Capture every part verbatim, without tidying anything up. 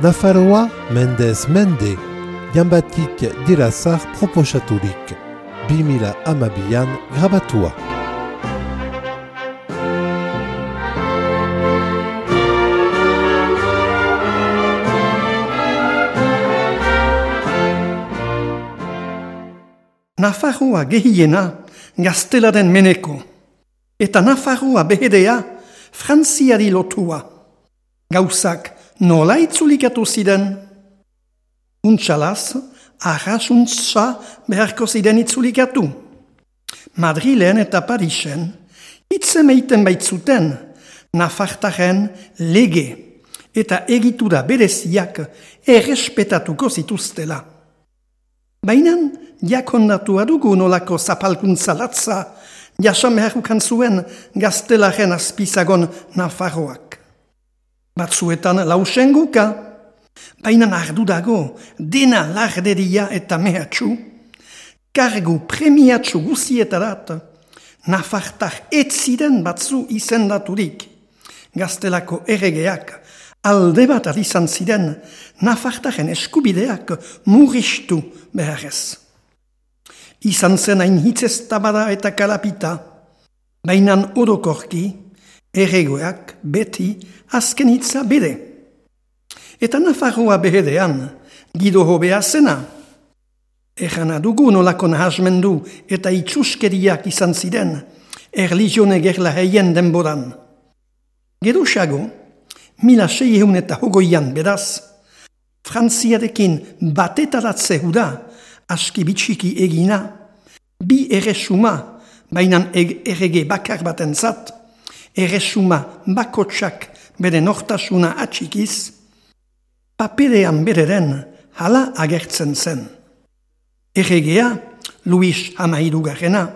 Nafarroa mendez mende, janbatik dirazar proposaturik, bi mila hamabian grabatua. Nafarroa gehiena gaztelaren meneko, eta Nafarroa behedea Frantziari lotua. Gauzak nola itzulikatu ziren? Untxalaz, arrasuntza beharko ziren itzulikatu. Madrilen eta Parisen hitzemeiten baitzuten Nafartaren lege eta egitura bereziak errespetatuko zituztela. Baina jakondatua dugu nolako zapalkuntza latza jasan beharrukan zuen gaztelaren azpizagon Nafarroak. Batzuetan lausenguka, baina ardu dago dena larderia eta mehatxu, kargu premiatxu guzietarat, Nafartar etziren batzu izendaturik. Gaztelako erregeak alde bat izan ziren Nafartaren eskubideak murriztu beharrez. Izan zen hain hitzeztabada eta kalapita, bainan orokorki, erregoak beti azken hitza bere. Eta Nafarroa behedean, gido hobea zena. Errana dugu nolako nahasmendu eta itxuskeriak izan ziren, erlizione gerla heien denboran. Geruxago, mila seihun eta hogoian beraz, Frantziarekin batetaratze huda, aski bitxiki egina, bi erresuma, bainan errege bakar batentzat, erresuma bakotsak bere nortasuna atxikiz, paperean bereren hala agertzen zen. Erregea, Luis Hamairugarrena,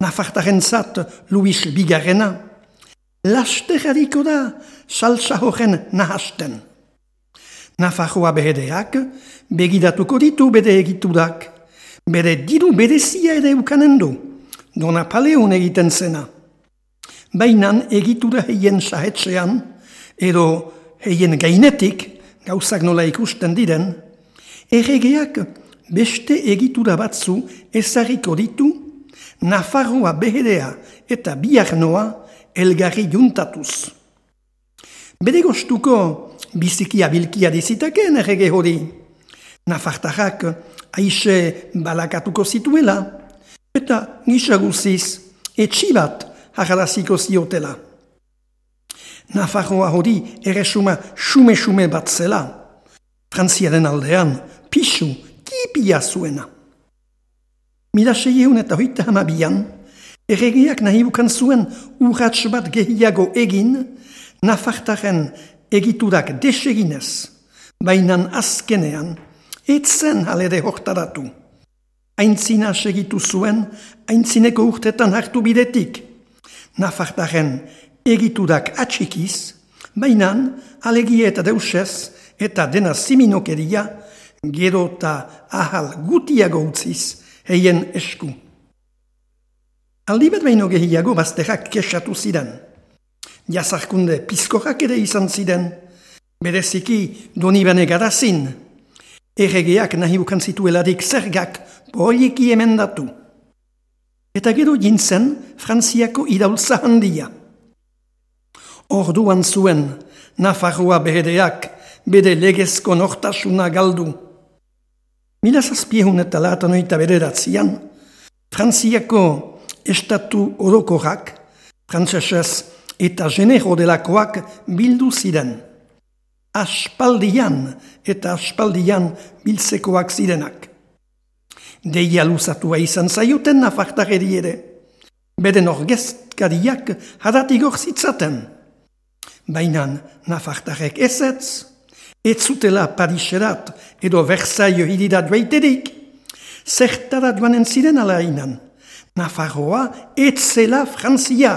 Nafartarentzat Luis Bigarrena, lasterrariko da salsa horren nahasten. Nafarroa behedeak begidatuko ditu bere egiturak, bere diru berezia ere ukanen du, Don Napoleon egiten zena. Bainan egitura heien sahetzean, edo heien gainetik, gauzak nola ikusten diren, erregeak beste egitura batzu ezarriko ditu, Nafarroa behedea eta biarnoa elgarri juntatuz. Bere gostuko biziki abilkia dizitakeen errege hori. Nafartarrak aixe balakatuko zituela, eta gisa guziz etxibat harraziko ziotela. Nafarroa hori erresuma xume-xume bat zela, Frantziaren aldean pixu kipia zuena. Mila seieun eta hoita hamabian, erregeak nahi bukan zuen urratx bat gehiago egin, Nafartaren egiturak deseginez, bainan azkenean, etzen halede hortaratu. Aintzina segitu zuen, aintzineko urtetan hartu bidetik. Nafartaren egiturak atxikiz, bainan alegie eta deusez, eta dena siminokeria, gero eta ahal gutiago utziz, heien esku. Aldibet baino gehiago bazterrak kesatu ziren. Jazarkunde pizkorrak ere izan ziren, bereziki Donibane Garazin, erregeak nahi bukan zituelarik zergak poliki emendatu. Eta gero jintzen Frantziako idaultza handia. Orduan zuen Nafarroa behedeak bere legezko nortasuna galdu. Mila zazpiehun eta latanoita bederatzian, Frantziako estatu orokorrak, frantzesez eta genero delakoak bildu ziren. Aspaldian eta aspaldian biltzekoak zirenak. Deia luzatua izan zaioten Nafartareri ere. Beren orgezkariak haratigor zitzaten. Bainan Nafartarek ezetz, ez zutela Pariserat edo Versailles hirira duaiterik, zertara duanen ziren alainan. Nafarroa ez zela Frantzia.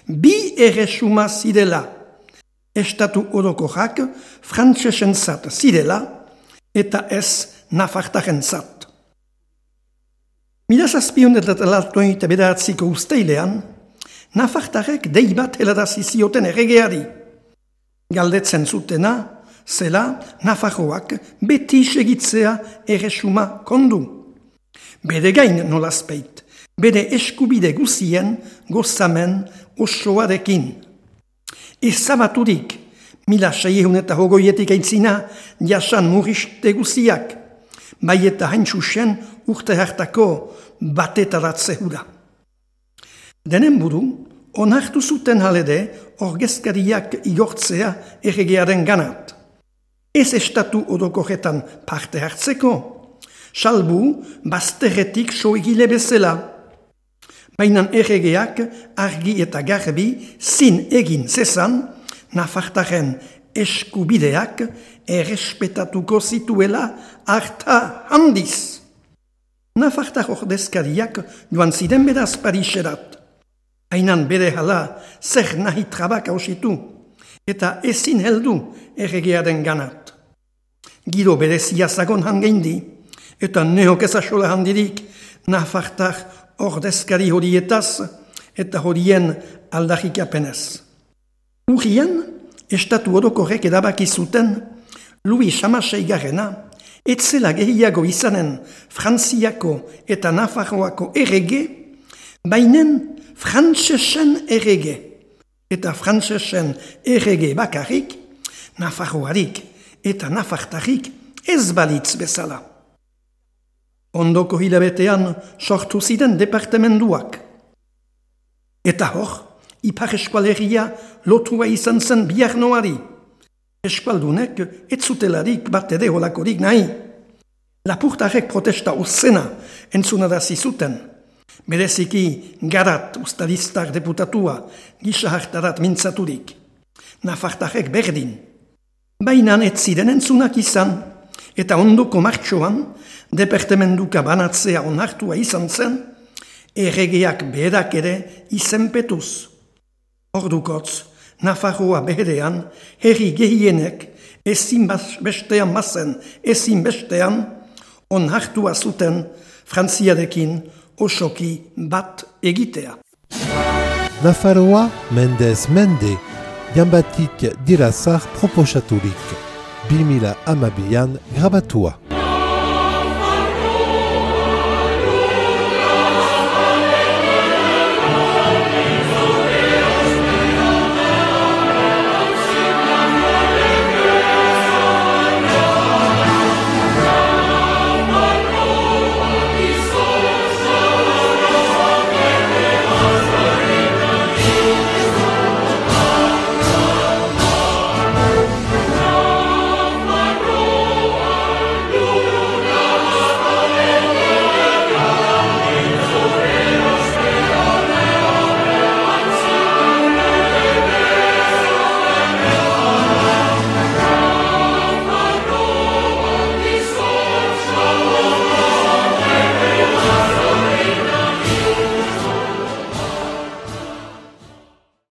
Bi erresuma zirela, estatu orokorrak frantsesentzat zirela eta ez Nafartarentzat. Mila zazpiehun eta laurogeita bederatziko uztailean, Nafartarek dei bat helarazi zioten erregeari. Galdetzen zutena, zela Nafarroak beti segitzea erresuma kondu. Bere gain nolazpeit, bere eskubide guzien gozamen osoarekin. Ezabaturik, mila seiehun eta hogoietik aintzina, jasan muriste guziak, bai eta haintxusen urte hartako batetaratze hura. Denen buru, onartu zuten halede orgezkariak igortzea erregearen ganat. Ez estatu orokorretan parte hartzeko, salbu bazterretik soegile bezala. Baina erregeak argi eta garbi zin egin zezan, Nafartaren eskubideak errespetatuko zituela harta handiz. Nafartar ordezkariak joan ziren beraz Pariserat. Hainan bere hala zer nahi trabak hausitu, eta ezin heldu erregearen ganat. Gido berezia zagon hangeindi, eta neok ezasola handirik Nafartar ordezkari horietaz eta horien aldarrikapenez. Urrian, estatu orokorrek edabaki zuten Louis Hamaseigarrena etzela gehiago izanen Frantziako eta Nafarroako errege, bainen frantsesen errege, eta frantsesen errege bakarrik, Nafarroarik eta Nafartarik ez balitz bezala. Ondoko hilabetean sortu ziren departamenduak. Eta hor, Ipar eskualeria lotua izan zen biarnoari. Eskualdunek ez zutelarik bat ere holakorik nahi. Lapurtarek protesta uzena entzunarazi zuten. Bereziki Garat ustadistar deputatua gisa hartarat mintzaturik. Nafartarek berdin. Baina ez ziren entzunak izan, eta ondoko martxoan departamenduka banatzea onartua izan zen, erregeak berak ere izenpetuz. Ordukotz, Nafarroa beherean, herri gehienek ezin bestean mazen, ezin bestean, onartua zuten Frantziarekin osoki bat egitea. Nafarroa mendez mende, Janbatik Dirazar proposaturik, bi mila hamabian grabatua.